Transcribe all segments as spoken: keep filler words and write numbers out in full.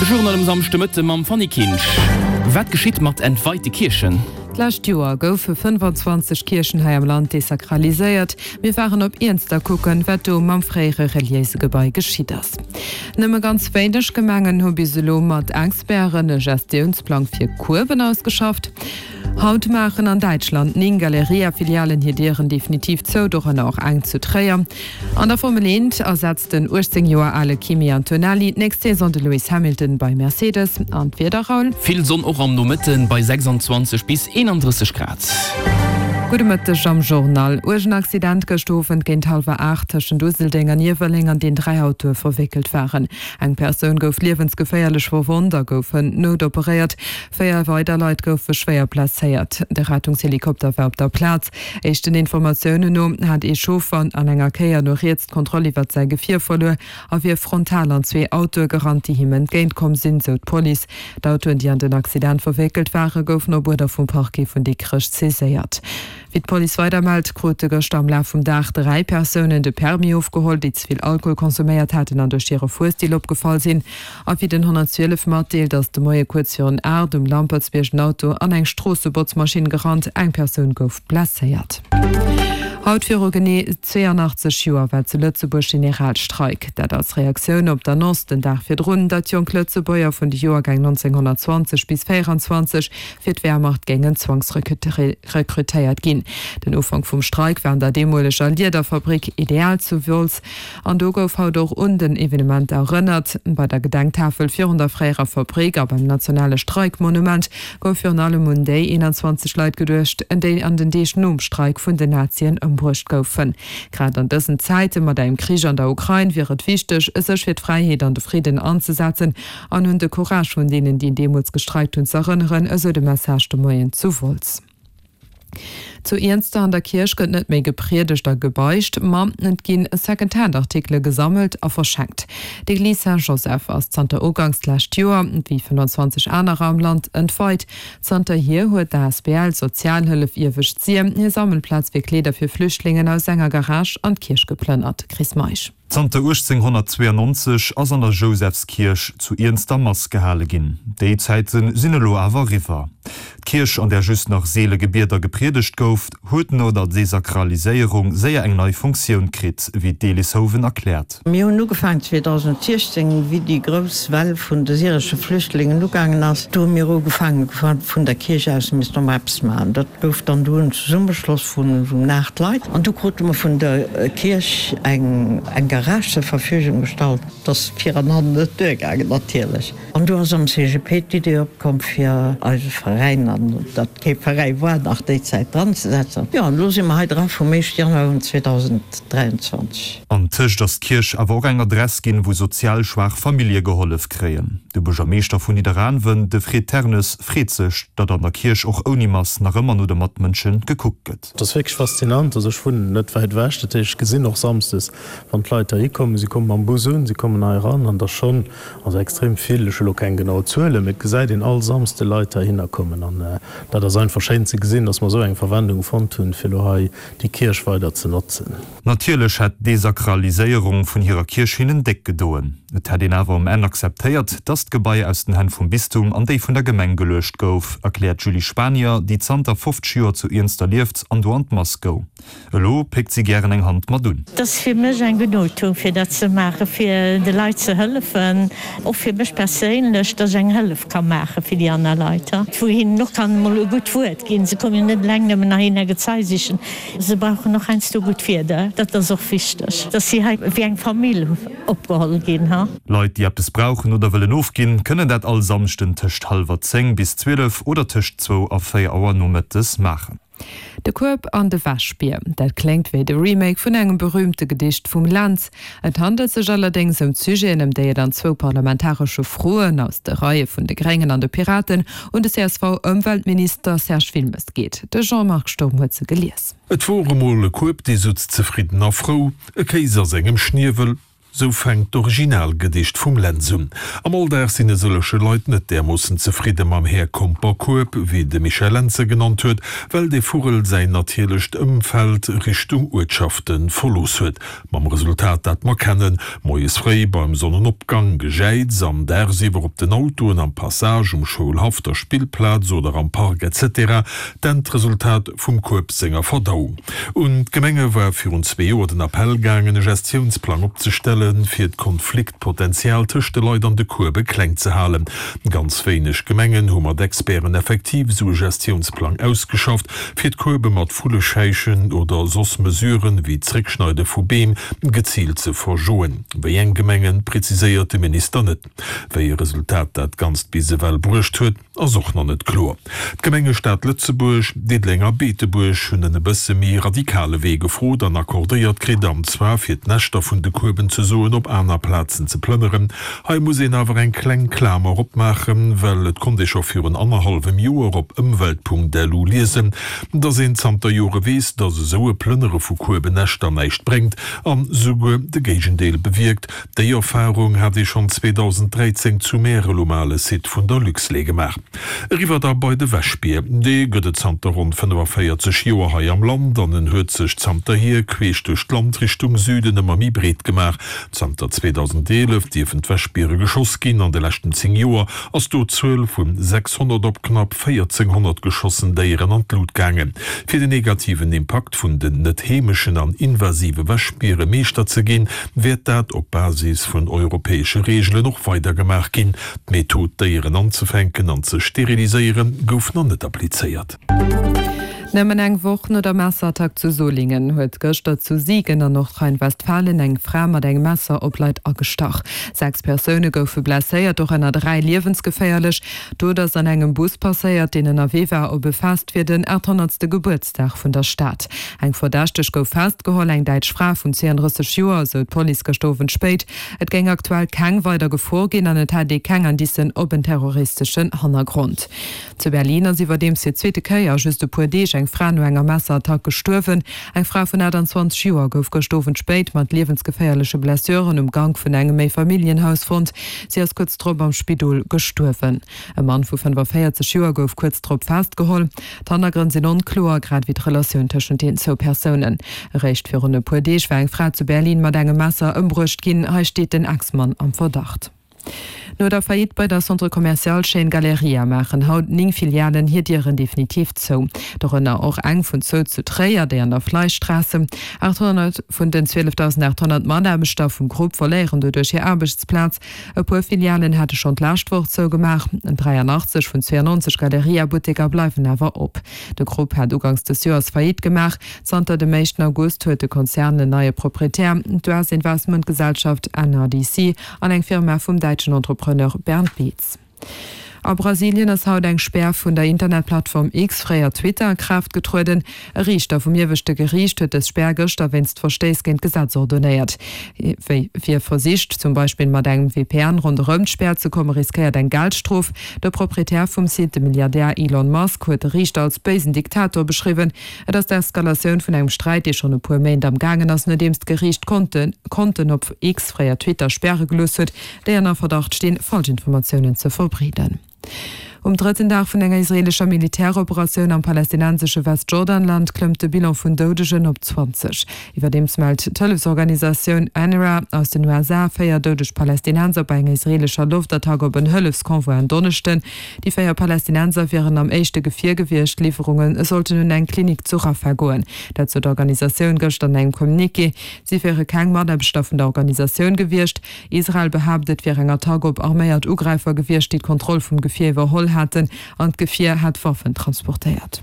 Journal um Samschdemëtte mam Fanny Kinsch. Wat geschitt mat entweite Kierchen? D'lescht Joer goufe fënnefanzwanzeg Kierchen hei am Land desakraliséiert. Mir waren op Iernster kucken, wat do mam fréiere reliéise Gebai geschitt ass. Nëmme ganz wéineg Gemengen hu bis elo mat Experten e Gestiounsplang fir Kueben ausgeschafft. Haut maachen an Däitschland néng Galeria-Filialen hir Dieren definitiv zou, dorënner och eng zu Tréier. An der Formel eent ersetzt den uechtzéng Joer ale Kimi Antonelli d'nächst Saison de Lewis Hamilton bei Mercedes. An d'Wieder, Raoul? Vill Sonn och am Nomëtten bei sechsandzwanzeg bis eenandrësseg Grad. Gudde Mëtteg am Journal. Uergen Accident gëscht Owend géint hallwer aacht tëschent Useldeng an Iewerleng, an deen dräi Autoe verwéckelt waren. Eng Persoun gouf liewensgeféierlech verwonnt a gouf noutoperéiert. Véier weider Leit goufe schwéier blesséiert. De Rettungshelikopter war op der Plaz. Éischten Informatiounen no hat ee Chauffer an enger Kéier no riets d'Kontroll iwwert säi Gefier verluer a wier frontal an zwee Autoe gerannt, déi him entgéint komm sinn, sou d'Police. D'Autoen, déi an den Accident verwéckelt waren, goufen op Uerder vum Parquet vun Dikrech saiséiert. Wéi d'Police weider mellt, krute gëschter am Laf vum Dag dräi Persounen de Permis ofgeholl, déi ze vill Alkohol konsuméiert haten an duerch hire Fuerstil opgefall sinn. A wéi den honnertzwielef matdeelt, ass de Moie kuerz virun aacht um Lampertsbierg en Auto an eng Stroossebotzmaschinn gerannt. Eng Persoun gouf blesséiert. Haut viru genee zweeanachtzeg Joer war zu Lëtzebuerg Generalstreik. Dat als Reaktioun op d'Annonce den Dag virdrun, datt jonk Lëtzebuerger vun de Joergäng nonzénghonnertzwanzeg bis véieranzwanzeg fir d'Wehrmacht géingen zwangsrekrutéiert ginn. Den Ufank vum Streik war an der deemoleger Liederfabrik Ideal zu Wolz an do gouf haut och un den Evenement erënnert. Bei der Gedenktafel virun der fréierer Fabrik a beim nationale Streikmonument gouf virun allem un déi eenanzwanzeg Leit geduecht, déi an den Deeg nom Streik vun den Nazien ëmbruecht goufen. Grad an dësen Zäite mat engem Krich an der Ukrain wier et wichteg, sech fir d'Fräiheet an de Fridden anzesetzen an un de Courage vun deenen, déi deemools gestreikt hunn, z'erënneren, esou de Message de Moien zu Wolz. Zu Iernster an der Kierch gëtt net méi gepriedegt a gebeicht, ma et ginn Second-Hand-Artikele gesammelt a verschenkt. D'Eglise Saint-Joseph ass zanter uganks d'lescht Joer, wéi fënnfanzwanzeg anerer am Land, entweit. Zanterhier huet d'A S B L Sozialhëllef Iewescht Sir hir Sammelplaz fir Kleeder fir Flüchtlingen aus enger Garage an d'Kierch geplënnert. Chris Meisch. Zanter uechtzénghonnertzweeanonzeg ass an der Jousefskierch zu Iernster Mass gehale ginn. Déi Zäite sinn elo awer eriwwer. D'Kierch, an där just nach seele gebiet a gepriedegt gouf, huet no der Desakraliséierung séier eng nei Funktioun kritt, wéi d'Elis Hoven erkläert. Mir hunn ugefaangen zweedausensiechzéng, wéi déi grouss Well vun de syresche Flüchtlingen ugaangen ass. Do hu mir ugefaangen, vun der Kierch aus, mir missten och mol eppes maachen. Dat gouf dann du en Zesummeschloss vun esou aacht Leit. An du krute mer vun der Kierch eng Garage zur Verfügung gestallt. Et ass vir an hannen net duergaangen natierlech. An du ass am C G P d'Idee opkomm, fir eise Veräin, an datt kee Veräi war nach déi Zäit, dranzesetzen. Jo, an elo si mer hei dra vum éischte Januar un zweedausenddräianzwanzeg. An tëscht ass d'Kierch awer och eng Adress ginn, wou sozial schwaach Famillje gehollef kréien. De Buergermeeschter vun Nidderaanwen, de Fred Ternes, freet sech, datt an der Kierch och ouni Mass nach ëmmer no de Matmënsche gekuckt gëtt. Et ass wierklech faszinant. Also ech wunnen net wäit ewech, dat heescht ech gesinn och samsdes, wann d'Leit heihi kommen. Si komme mam Bus un, si kommen hei eran an et ass schonn, also extrem vill, ech hu lo keng genau Zuelen, mee et gesäit een all Samsde Leit heihinner kommen an dat ass einfach schéin ze gesinn, datt mer esou eng Verwendung fonnt hunn, fir elo hei déi Kierch weider ze notzen. Natierlech hätt d'Desakraliséierung vun hirer Kierch hinnen déck gedoen. Et hätt een awer um Enn akzeptéiert, datt d'Gebai aus den Hänn vum Bistum an déi vun der Gemeng geluecht gouf, erkläert d'Julie Spanier, déi zanter fofzeg Joer zu Iernster lieft an do an d'Mass goung. Elo péckt si gären eng Hand mat un. Et ass fir mech eng Genugtuung, fir dat ze maachen, fir de Leit ze hëllefen, och fir mech perséinlech, dass ech eng Hëllef ka maache fir déi aner Leit, wou hinnen och kann emol e gutt Wuert ginn. Se kommen jo net eleng nëmmen heihinner Gezei sichen, se brauchen och heiansdo gutt Wierder. Dat ass och wichteg, dass si hei wéi eng Famill opgeholl ginn. Leit, déi eppes brauchen oder wëllen ofginn, kënnen dat all Samschden tëscht hallwer zéng bis zwielef oder tëscht zwou a véier Auer nomëttes maachen. De Kueb an de Wäschbier, dat kléngt wéi de Remake vun engem berüümte Gedicht vum Lentz. Et handelt sech allerdéngs ëm d'Sujeten, ëm déi et an zwou parlamentaresche Froen aus de Reie vun de Gréngen an de Piraten un de C S V-Ëmweltminister Serge Wilmes geet. De Jean-Marc Sturm huet se gelies. Et wor emol e Kueb, dee sutz zefridden a frou, e Kéis a sengem Schniewel. Sou fänkt d'Originalgedicht vum Lentz un. Am Alldag sinn e sëlleche Leit net därmoossen zefridde mam Här Komper Kueb, wéi de Michel Lentz e genannt huet, well de Vugel säin natierlecht Ëmfeld Richtung Uertschafte verlooss huet. Mam Resultat, dat mer kennen, Moies fréi beim Sonnenopgang Gejäiz an dagsiwwer op den Autoen, am Passage, um Schoulhaff, der Spillplaz oder am Park etc. D'Endresultat vum Kueb senger Verdauung. Un d'Gemenge war virun zwee Joer den Appell gaangen, e Gestiounsplang opzestellen, fir d'Konfliktpotenzial tëscht de Leit an de Kuebe kleng ze halen. Ganz wéineg Gemengen hu mat Experten effektiv esou e Gestiounsplang ausgeschafft, fir d'Kuebe mat Vulleschäichen oder soss Mesuren, wéi d'Zréckschneide vu Beem, geziilt ze verjoen. Wéi eng Gemengen, preziséiert de Minister net. Wéi e Resultat dat Ganzt bis ewell bruecht huet, ass och nach net kloer. D'Gemenge Stad Lëtzebuerg, Diddeleng a Beetebuerg hunn en e bësse méi radikale Wee gefrot an accordéiert kritt, an zwar fir d'Näschter vun de Kueben ze soen op aner Plazen ze plënneren. Hei muss een awer eng kleng Klamer opmaachen, well et konnt ee scho virun annerhallwem Joer op ëmwelt.lu liesen, dass een zanter Jore weess, dass esou e Plënnere vu Kuebennäschter näischt bréngt an souguer de Géigendeel bewierkt. Déi Erfarung hat ee schonn zweedausenddräizéng zu Märel um ale Site vun der Luxlait gemaach. Eriwwer da bei de Wäschbier. Dee gëtt et zanter ronn fënnefavéierzeg Joer hei am Land an en huet sech zanterhier queesch duerch d'Land Richtung Süden ëmmer méi breet gemaach. Zanter zweedausendeelef dierfen d'Wäschbiere geschoss ginn. An de leschten zéng Joer ass do d'Zuel vu sechshonnert op knapp véierzénghonnert geschossen Déieren an d'Lut gaangen. Fir den negativen Impakt vun den net heemeschen an invasive Wäschbiere Meeschter ze ginn, wäert dat op Basis vun europäesche Reegelen och weider gemaach ginn. D'Method, d'Déieren anzefänken an ze steriliséieren, gouf nach net applizéiert. Nëmmen eng Woch no der Messerattack zu Solingen huet gëschter zu Siegen an Nordrhein-Westfalen eng Fra mat engem Messer op Leit agestach. Sechs Persoune goufe blesséiert, dorënner dräi liewensgeféierlech. D'Dot ass an engem Bus passéiert, deen ënnerwee war op e Fest fir den achthonnertste Gebuertsdag vun der Stad. Eng Verdächteg gouf festgeholl, eng däitsch Fra vun zweeëndrësseg Joer, esou d'Police gëschter Owend spéit. Et géing aktuell keng weider Gefor ginn an et hätt ee keng Indicen op en terroristeschen Hannergrond. Zu Berlin ass iwwerdeems fir d'zweete Kéier a just e puer Deeg eng Fra no enger Messerattack gestuerwen. Eng Fra vun aachtanzwanzeg Joer gouf gëscht Owend spéit mat liewensgeféierleche Blessuren um Gank vun engem Méifamilljenhaus fonnt. Si ass kuerz drop am Spidol gestuerwen. E Mann vu fënnefaféierzeg Joer gouf kuerz drop festgeholl. D'Hannergrënn sinn onkloer, grad ewéi d'Relatioun tëschent den zwou Persounen. Eréischt virun e puer Deeg war eng Fra zu Berlin mat engem Messer ëmbruecht ginn. Hei steet den Ex-Mann am Verdacht. No der Faillite bei der Centre Commercial Chaîne Galeria maachen haut néng Filialen hir Dieren definitiv zou. Dorënner och eng vun zwou zu Tréier, déi an der Fleischstraße. achthonnert vun den zwielefdausendachthonnert Mataarbechter vum Grupp verléieren doduerch hir Aarbechtsplaz. E puer Filialen hate schonn d'lescht Woch zougemaach. dräianachtzeg vun zweeënneunzeg Galeria-Butteker bleiwen awer op. De Grupp hat uganks des Joers Faillite gemaach. Zanter dem éischten August huet de Konzern en neie Proprietär, d'U S-Investmentgesellschaft N R D C an eng Firma vum däitschen Entrepreneur Bernd Beetz. A Brasilien ass haut eng Spär vun der Internetplattform X, fréier Twitter, a Kraaft getrueden. E Riichter vum ieweschte Geriicht huet dës Spär gëschter wéinst Verstéiss géint d'Gesetz ordonéiert. Wie versicht, zum Beispill mat engem V P N ronderëm d'Spär ze kommen, riskéiert eng Geldstrof. De Proprietär vum Site, de Milliardär Elon Musk, huet de Riichter als béisen Diktator beschriwwen. Et ass d'Eskalatioun vun engem Sträit, dee schonn e puer Méint am gaangen ass, nodeems d'Geriicht Konten Konten op X, fréier Twitter, späre gelooss huet, déi ënner Verdacht stinn, Falschinformatiounen ze verbreeden. Um drëtten Dag vun enger israeelescher Militäroperatioun am palästinensesche Westjordanland klëmmt de Bilan vun Doudegen op zwanzeg. Iwwerdeems mellt d'Hëllefsorganisatioun UNRWA aus den U S A véier doudeg Palästinenser bei enger israeelescher Loftattack op en Hëllefsconvoi en Donneschden. Déi véier Palästinenser wieren am éischte Gefier gewiescht, d'Liwwerunge sollten un eng Klinik zu Rafah goen. Dat sot d'Organisatioun gëschter an engem Communiqué. Si wiere keng Mataarbechter vun der Organisatioun gewiescht. Israel behaapt, et wier eng Attack op arméiert Ugräifer gewiescht, déi d'Kontroll vum Gefier iwwerholl haten an d'Gefier hat Waffen transportéiert.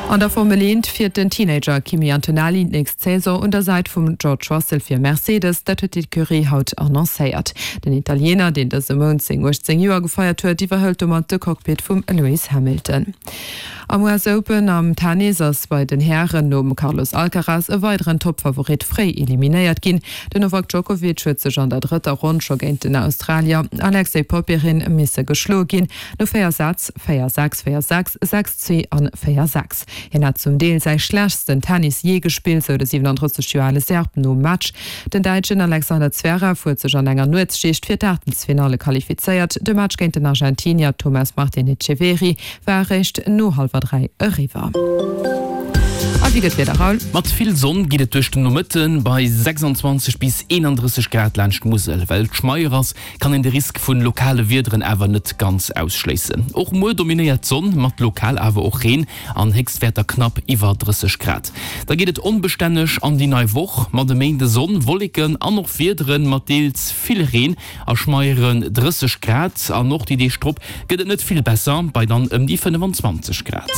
An der Formel eent fiert den Teenager Kimi Antonelli d'nächst Saison un der Säit vum George Russell fir Mercedes, dat huet d'Ecurie haut annoncéiert. Den Italiener, deen dëse Mount seng uechtzéng Joer gefeiert huet, iwwerhëlt domat de Cockpit vum Lewis Hamilton. Am U S Open am Tennis ass bei den Hären nom Carlos Alcaraz e weideren Toppfavorit fréi eliminéiert ginn. Den Novak Djokovic huet sech an der drëtter Ronn scho géint den Australier Alexei Popyrin misse geschloe ginn, no véier Sätz, véier sechs, véier sechs, sechs zwee an véier sechs. Hien hat zum Deel säi schlechtsten Tennis jee gespillt, sou de siwenanddrësseg Joer ale Serb nom Match. Den Däitschen Alexander Zverev huet sech an enger Nuetsschicht fir d'Aachtelsfinalle qualifizéiert. De Match géint den Argentinier Tomas Martin Etcheverry war eréischt no hallwer dräi eriwwer. A wéi gëtt d'Wieder, Raoul? Mat vill Sonn geet et duerch den Nomëtte bei sechsandzwanzeg bis eenandrësseg Grad laanscht d'Musel. Well et schmeier ass, kann een de Risk vun lokale Wiederen awer net ganz ausschléissen. Och muer dominéiert d'Sonn, mat lokal awer och Reen an Héchstwäerter knapp iwwer drësseg Grad. Da geet et onbestänneg an déi nei Woch, mat e Méinde Sonn, Wolleken an och Wiederen, mat deels vill Reen a schmeieren drësseg Grad. An och déi Deeg drop gëtt et net vill besser, bei dann ëm déi fënnefenzwanzeg Grad.